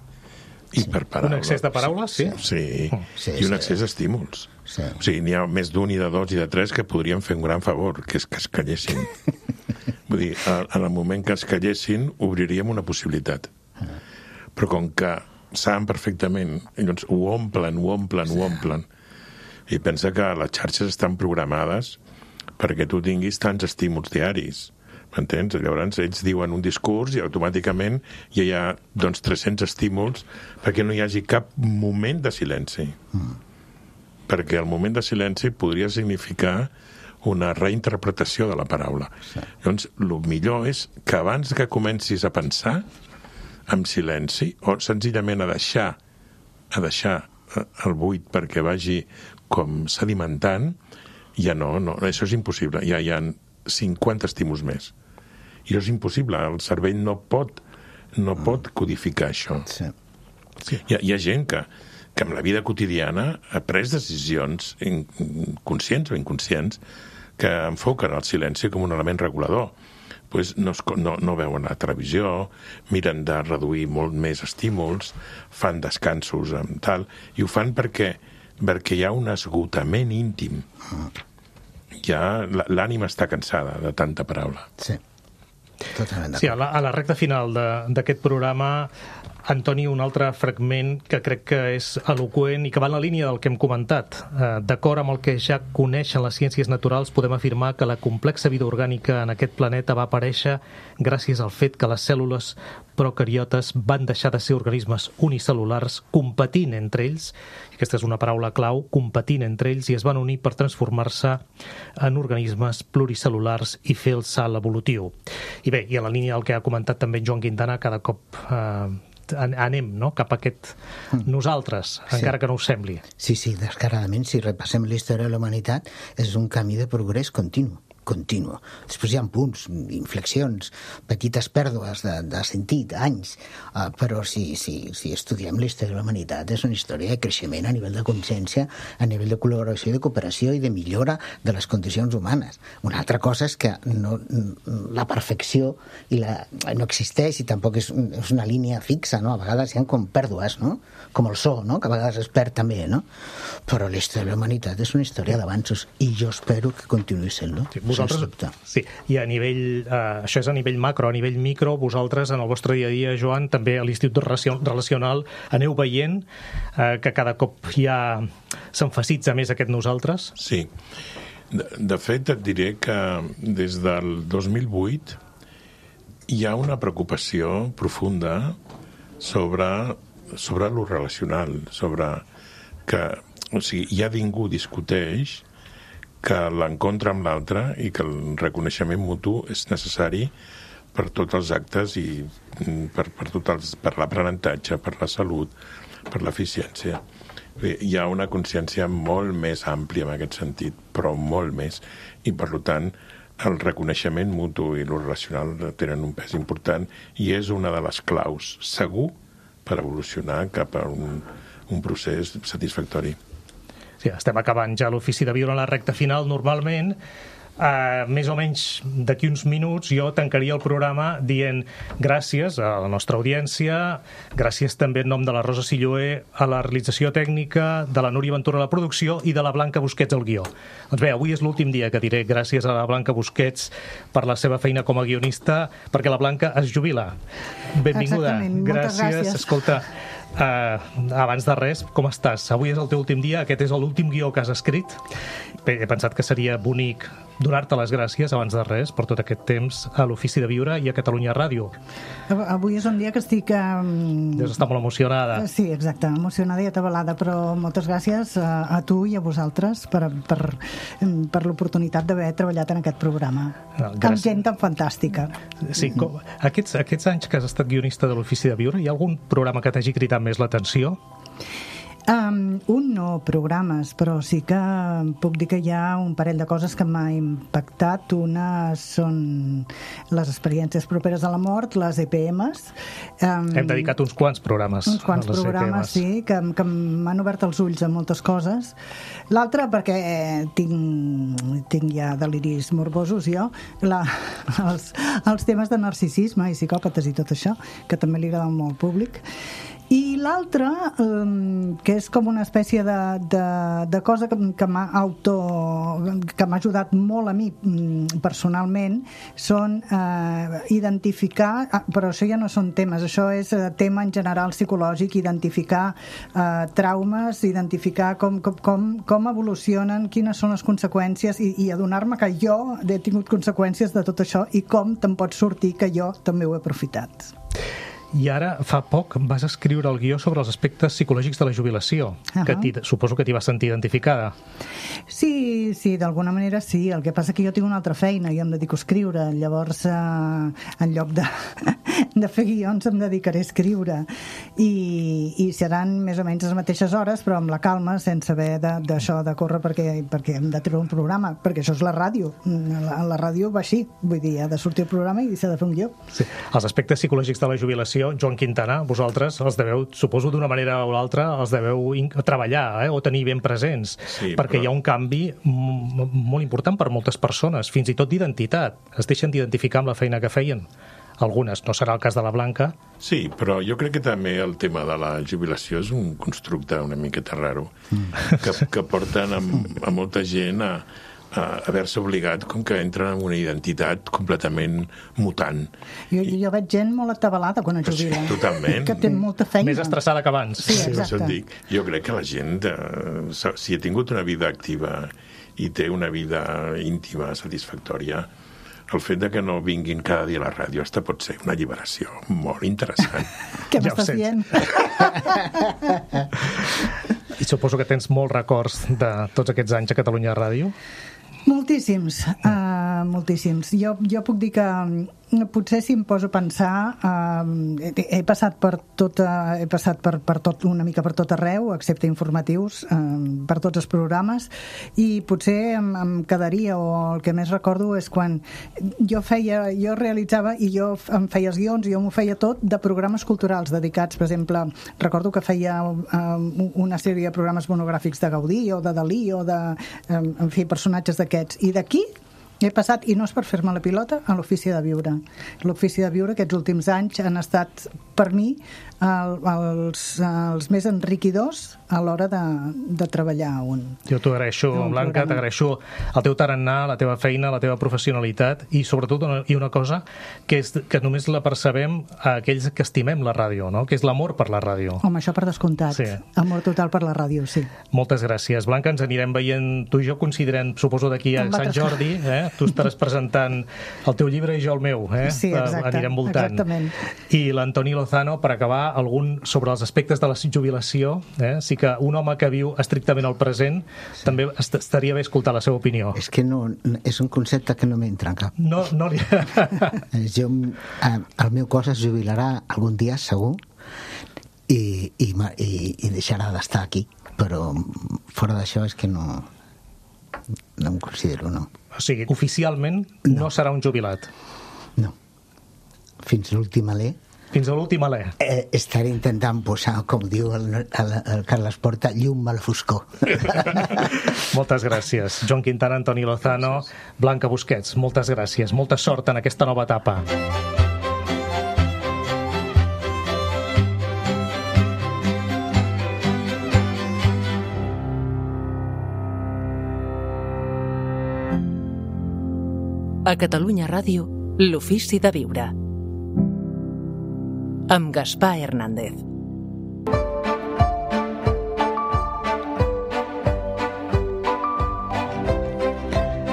Un excés de paraules, sí? Sí, i un excés d'estímuls. Sí. O sigui, n'hi ha més d'un i de dos i de tres que podrien fer un gran favor, que és que es callessin. Vull dir, en el moment que es callessin, obriríem una possibilitat. Però com que saben perfectament, llavors ho omplen. I pensa que les xarxes estan programades perquè tu tinguis tants estímuls diaris. M'entens? Llavors ells diuen un discurs i automàticament ja hi ha 300 estímuls perquè no hi hagi cap moment de silenci. Perquè el moment de silenci podria significar una reinterpretació de la paraula. Llavors, el millor és que abans que comencis a pensar amb silenci, o senzillament a deixar el buit perquè vagi com sedimentant, ja no, això és impossible. Ja hi ha 50 estímuls més. I això és impossible. El cervell no pot codificar això. Sí. Hi ha gent que en la vida quotidiana ha pres decisions conscients o inconscients que enfoquen el silenci com un element regulador. Pues no veuen la televisió, miren de reduir molt més estímuls, fan descansos amb tal, i ho fan perquè hi ha un esgotament íntim. Ja l'ànima està cansada de tanta paraula. Sí, totalment d'acord. Sí, a la recta final d'aquest programa, Antoni, un altre fragment que crec que és eloqüent i que va en la línia del que hem comentat. D'acord amb el que ja coneixen les ciències naturals, podem afirmar que la complexa vida orgànica en aquest planeta va aparèixer gràcies al fet que les cèl·lules procariotes van deixar de ser organismes unicel·lulars competint entre ells, aquesta és una paraula clau, competint entre ells, i es van unir per transformar-se en organismes pluricel·lulars i fer el salt evolutiu. I bé, i en la línia del que ha comentat també en Joan Quintana, cada cop anem, no?, cap a aquest nosaltres, encara que no us sembli. Sí, descaradament, si repassem la història de la humanitat, és un camí de progrés continu. continu. Després hi ha punts, inflexions, petites pèrdues de sentit, anys, però si estudiem la història de la humanitat és una història de creixement a nivell de consciència, a nivell de col·laboració i de cooperació i de millora de les condicions humanes. Una altra cosa és que la perfecció no existeix i tampoc és una línia fixa, no? A vegades hi ha com pèrdues, no? Com el so, no? Que a vegades es perd també, no? Però la història de la humanitat és una història d'avanços i jo espero que continuï sent-lo, sens dubte. Sí, i a nivell, això és a nivell macro, a nivell micro, vosaltres en el vostre dia a dia, Joan, també a l'Institut Relacional aneu veient que cada cop ja s'emfasitza més aquest nosaltres? Sí. De fet, et diré que des del 2008 hi ha una preocupació profunda sobre lo relacional, sobre que, o sigui, ja ningú discuteix que l'encontre amb l'altre i que el reconeixement mutu és necessari per tots els actes i per l'aprenentatge, per la salut, per l'eficiència. Hi ha una consciència molt més àmplia en aquest sentit, però molt més, i per tant el reconeixement mutu i lo relacional tenen un pes important i és una de les claus, segur, per evolucionar cap a un procés satisfactori. Sí, estem acabant ja l'Ofici de Viure en la recta final. Normalment, més o menys d'aquí uns minuts, jo tancaria el programa dient gràcies a la nostra audiència, gràcies també en nom de la Rosa Silloé a la realització tècnica, de la Núria Ventura a la producció i de la Blanca Busquets al guió. Doncs bé, avui és l'últim dia que diré gràcies a la Blanca Busquets per la seva feina com a guionista, perquè la Blanca es jubila. Benvinguda. Exactament, moltes gràcies. Escolta, abans de res, com estàs? Avui és el teu últim dia, aquest és l'últim guió que has escrit. Bé, he pensat que seria bonic donar-te les gràcies abans de res per tot aquest temps a l'Ofici de Viure i a Catalunya Ràdio. Avui és un dia que estic... Deus estar molt emocionada. Sí, exacte, emocionada i atabalada, però moltes gràcies a tu i a vosaltres per l'oportunitat d'haver treballat en aquest programa. Amb gent tan fantàstica. Sí, aquests anys que has estat guionista de l'Ofici de Viure, hi ha algun programa que t'hagi cridat més l'atenció? No programes, però sí que puc dir que hi ha un parell de coses que m'ha impactat. Una són les experiències properes a la mort, les EPMs. Hem dedicat uns quants programes. Uns quants programes, sí, que m'han obert els ulls a moltes coses. L'altra, perquè tinc ja deliris morbosos jo, els temes de narcisisme i psicòpates i tot això, que també li agrada molt al públic. I l'altra, que és com una espècie de cosa que m'ha ajudat molt a mi personalment, són identificar, però això ja no són temes, això és tema en general psicològic, identificar traumes, identificar com evolucionen, quines són les conseqüències i adonar-me que jo he tingut conseqüències de tot això i com te'n pots sortir que jo també ho he aprofitat. I ara, fa poc, vas escriure el guió sobre els aspectes psicològics de la jubilació, que suposo que t'hi vas sentir identificada. Sí, d'alguna manera sí. El que passa que jo tinc una altra feina, jo em dedico a escriure, llavors en lloc de fer guions em dedicaré a escriure i seran més o menys les mateixes hores, però amb la calma, sense haver d'això de córrer perquè hem de treure un programa, perquè això és la ràdio. La ràdio va així, vull dir, ha de sortir el programa i s'ha de fer un guió. Sí. Els aspectes psicològics de la jubilació, Joan Quintana, vosaltres els deveu, suposo d'una manera o l'altra, els deveu treballar o tenir ben presents, perquè hi ha un canvi molt important per moltes persones, fins i tot d'identitat. Es deixen d'identificar amb la feina que feien. Algunes, no serà el cas de la Blanca. Sí, però jo crec que també el tema de la jubilació és un constructe una miqueta raro, que porten a molta gent a haver-se obligat com que entren en una identitat completament mutant. Jo veig gent molt atabalada quan es jubila. Sí, totalment. Que té molta feina. Més estressada que abans. Sí, exacte. Jo crec que la gent, si ha tingut una vida activa i té una vida íntima satisfactòria, el fet de que no vinguin cada dia a la ràdio hasta pot ser una alliberació molt interessant. Què m'estàs dient? I suposo que tens molts records de tots aquests anys a Catalunya Ràdio. Moltíssims, moltíssims. Jo puc dir que potser si em poso a pensar, he passat per tot una mica per tot arreu, excepte informatius, per tots els programes, i potser em quedaria, o el que més recordo és quan jo realitzava i jo em feia els guions, jo m'ho feia tot de programes culturals dedicats, per exemple, recordo que feia una sèrie de programes monogràfics de Gaudí o de Dalí o de, en fi, personatges d'aquests, i d'aquí he passat, i no és per fer-me la pilota, a l'Ofici de Viure. L'Ofici de Viure aquests últims anys han estat per mi els més enriquidors a l'hora de treballar Jo t'ho agraeixo, Blanca, t'agraeixo el teu tarannà, la teva feina, la teva professionalitat i sobretot una cosa que és que només la percebem a aquells que estimem la ràdio, no? Que és l'amor per la ràdio. Home, això per descomptat. Sí. Amor total per la ràdio, sí. Moltes gràcies. Blanca, ens anirem veient, tu i jo coincidirem, suposo, d'aquí a Sant Jordi, tu estaràs presentant el teu llibre i jo el meu, Sí, exacte, anirem voltant. Exactament. I l'Antoni Lozano, per acabar, algun sobre els aspectes de la jubilació, sí que un home que viu estrictament al present també estaria bé escoltar la seva opinió. És que no, és un concepte que no m'entra en cap. No li... El meu cos es jubilarà algun dia, segur, i deixarà d'estar aquí, però fora d'això és que no em considero, no. O sigui, oficialment no serà un jubilat. No. Fins l'últim alè. Fins a l'últim alè. Estaré intentant posar, com diu el Carles Porta, llum a la foscor. Moltes gràcies. Joan Quintana, Antoni Lozano, Blanca Busquets, moltes gràcies. Molta sort en aquesta nova etapa. A Catalunya Ràdio, l'Ofici de Viure. Amb Gaspar Hernández.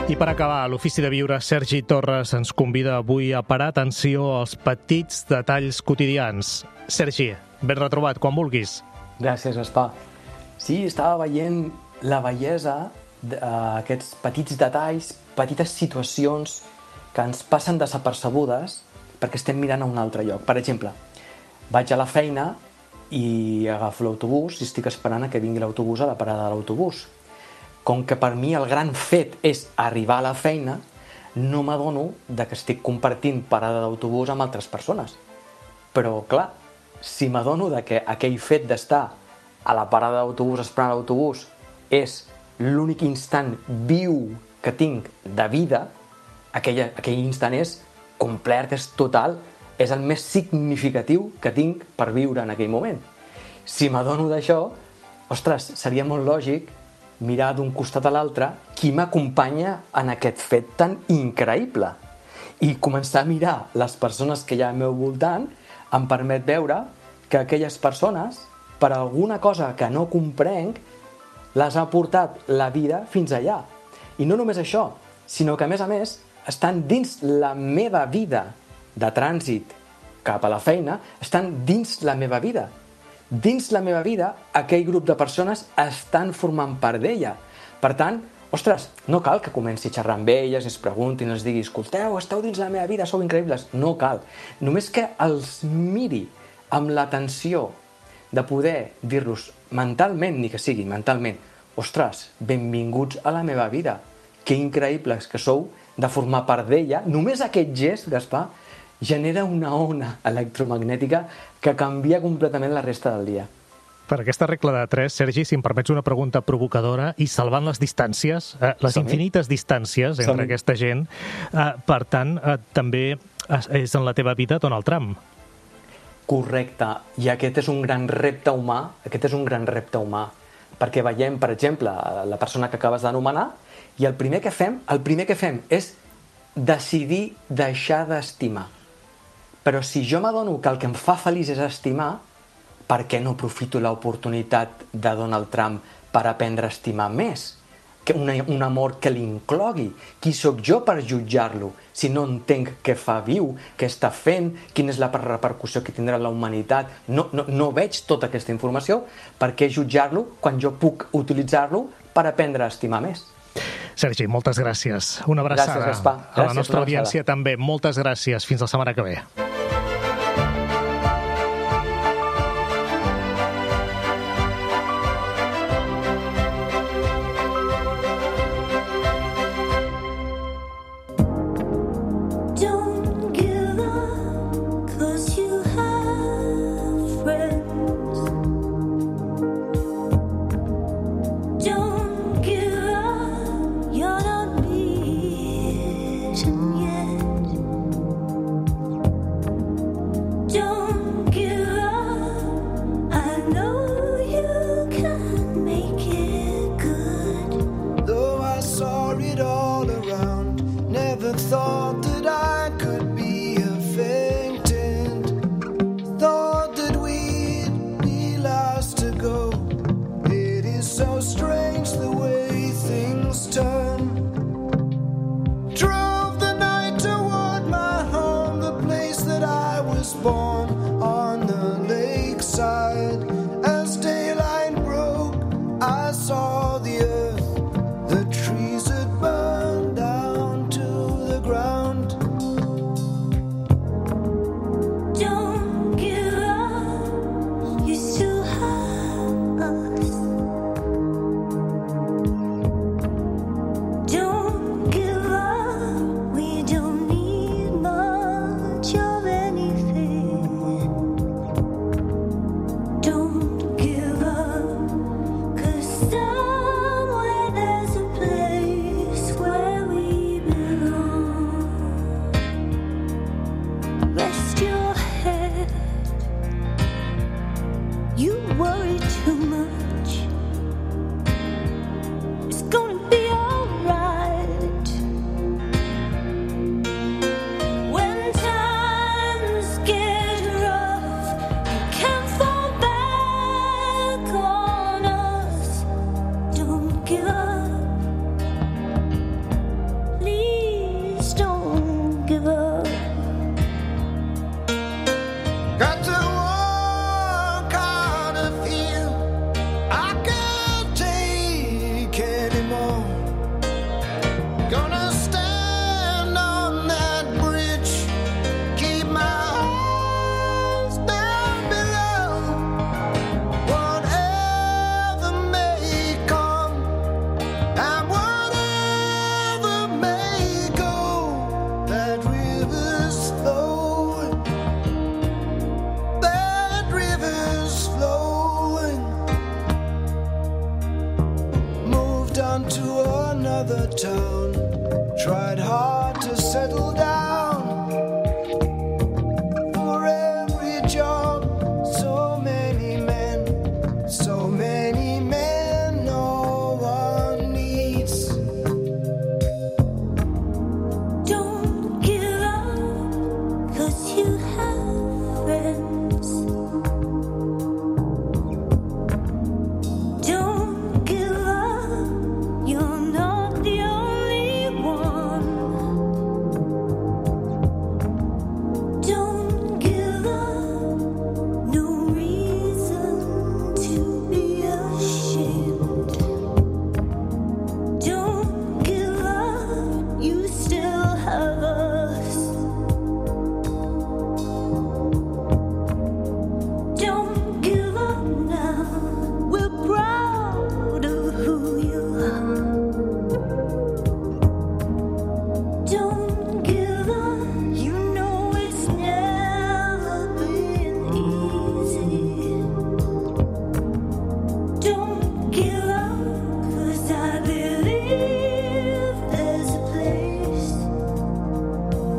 I per acabar, l'Ofici de Viure, Sergi Torres ens convida avui a parar atenció als petits detalls quotidians. Sergi, ben retrobat, quan vulguis. Gràcies, Gaspar. Sí, estava veient la bellesa d'aquests petits detalls, petites situacions que ens passen desapercebudes perquè estem mirant a un altre lloc. Per exemple, vaig a la feina i agafo l'autobús i estic esperant a que vingui l'autobús a la parada de l'autobús. Com que per mi el gran fet és arribar a la feina, no m'adono que estic compartint parada d'autobús amb altres persones. Però, clar, si m'adono que aquell fet d'estar a la parada d'autobús esperant l'autobús és l'únic instant viu que tinc de vida, aquell instant és complet, és total, és el més significatiu que tinc per viure en aquell moment. Si m'adono d'això, ostres, seria molt lògic mirar d'un costat a l'altre qui m'acompanya en aquest fet tan increïble. I començar a mirar les persones que hi ha al meu voltant em permet veure que aquelles persones, per alguna cosa que no comprenc, les ha portat la vida fins allà. I no només això, sinó que, a més, estan dins la meva vida de trànsit cap a la feina, estan dins la meva vida. Dins la meva vida, aquell grup de persones estan formant part d'ella. Per tant, ostres, no cal que comenci a xerrar amb elles, es preguntin, els digui, escolteu, esteu dins la meva vida, sou increïbles. No cal. Només que els miri amb l'atenció de poder dir-los mentalment, ni que sigui mentalment, ostres, benvinguts a la meva vida, que increïbles que sou de formar part d'ella. Només aquest gest, Gaspar, genera una ona electromagnètica que canvia completament la resta del dia. Per aquesta regla de 3, Sergi, si em permets una pregunta provocadora, i salvant les distàncies, les infinites distàncies entre aquesta gent, per tant, també és en la teva vida Donald Trump. Correcte, i aquest és un gran repte humà, perquè veiem, per exemple, la persona que acabes d'anomenar, i el primer que fem és decidir deixar d'estimar. Però si jo m'adono que el que em fa feliç és estimar, per què no aprofito l'oportunitat de Donald Trump per aprendre a estimar més? Un amor que l'inclogui. Qui sóc jo per jutjar-lo si no entenc què fa viu, què està fent, quina és la repercussió que tindrà la humanitat? No veig tota aquesta informació. Per què jutjar-lo quan jo puc utilitzar-lo per aprendre a estimar més? Sergi, moltes gràcies. Una abraçada. Gràcies, Gaspar. A la nostra audiència també. Moltes gràcies. Fins la setmana que ve.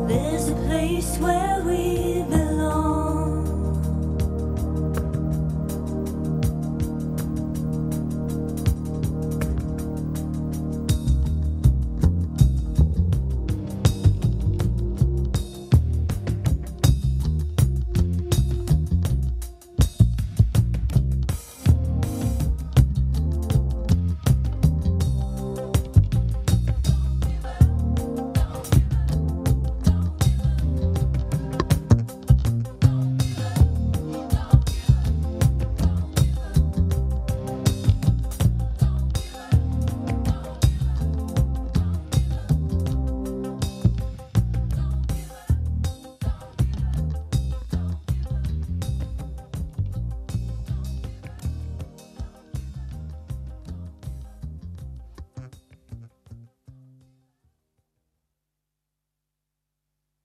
There's a place where we